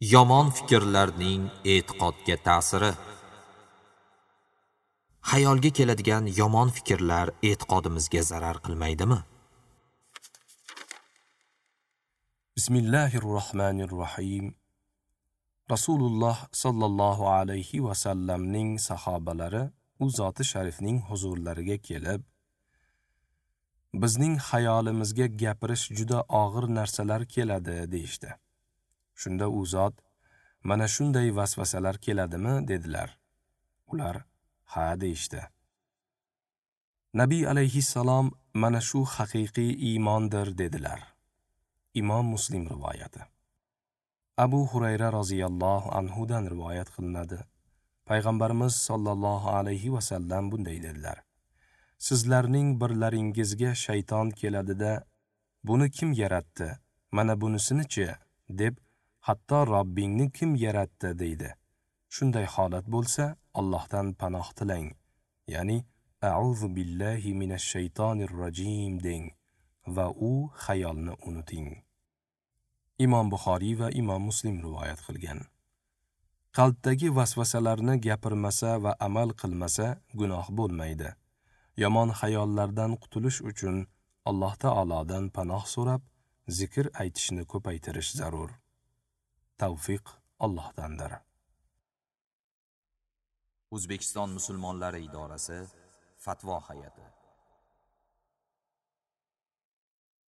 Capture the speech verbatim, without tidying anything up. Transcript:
Yomon fikrlarning e'tiqodga ta'siri. Xayolga keladigan yomon fikrlar e'tiqodimizga zarar qilmaydimi? Bismillahirrohmanirrohim. Rasululloh sallallohu alayhi va sallamning sahobalari u zoti sharifning huzurlariga kelib, bizning xayolimizga gapirish juda og'ir narsalar keladi deyishdi. Shunda u zot, mana shunday vasvasalar keladimi dedilar. Ular ha deyishdi. Nabiy alayhissalom mana shu haqiqiy iymondir dedilar. Imom Muslim rivoyati. Abu Hurayra roziyallohu anhu dan rivoyat qilinadi. Payg'ambarimiz sollallohu alayhi va sallam bunday dedilar: Sizlarning birlaringizga shayton keladida, buni kim yaratdi? Mana bunisini-chi? Deb, hatto Robbingni kim yaratdi deydi. Shunday holat bo'lsa, Allohdan panoh tilang. Ya'ni a'uzu billahi minash shaytonir rojim deng va u xayolni unuting. Imom Buxoriy va Imom Muslim rivoyat qilgan. Qalbdagi vasvasalarni gapirmasa va amal qilmasa gunoh bo'lmaydi. Yomon xayollardan qutulish uchun Alloh taolodan panoh so'rab, zikr aytishni ko'paytirish zarur. Tavfiq Allohdandir. O'zbekiston musulmonlari idorasi Fatvo hay'ati.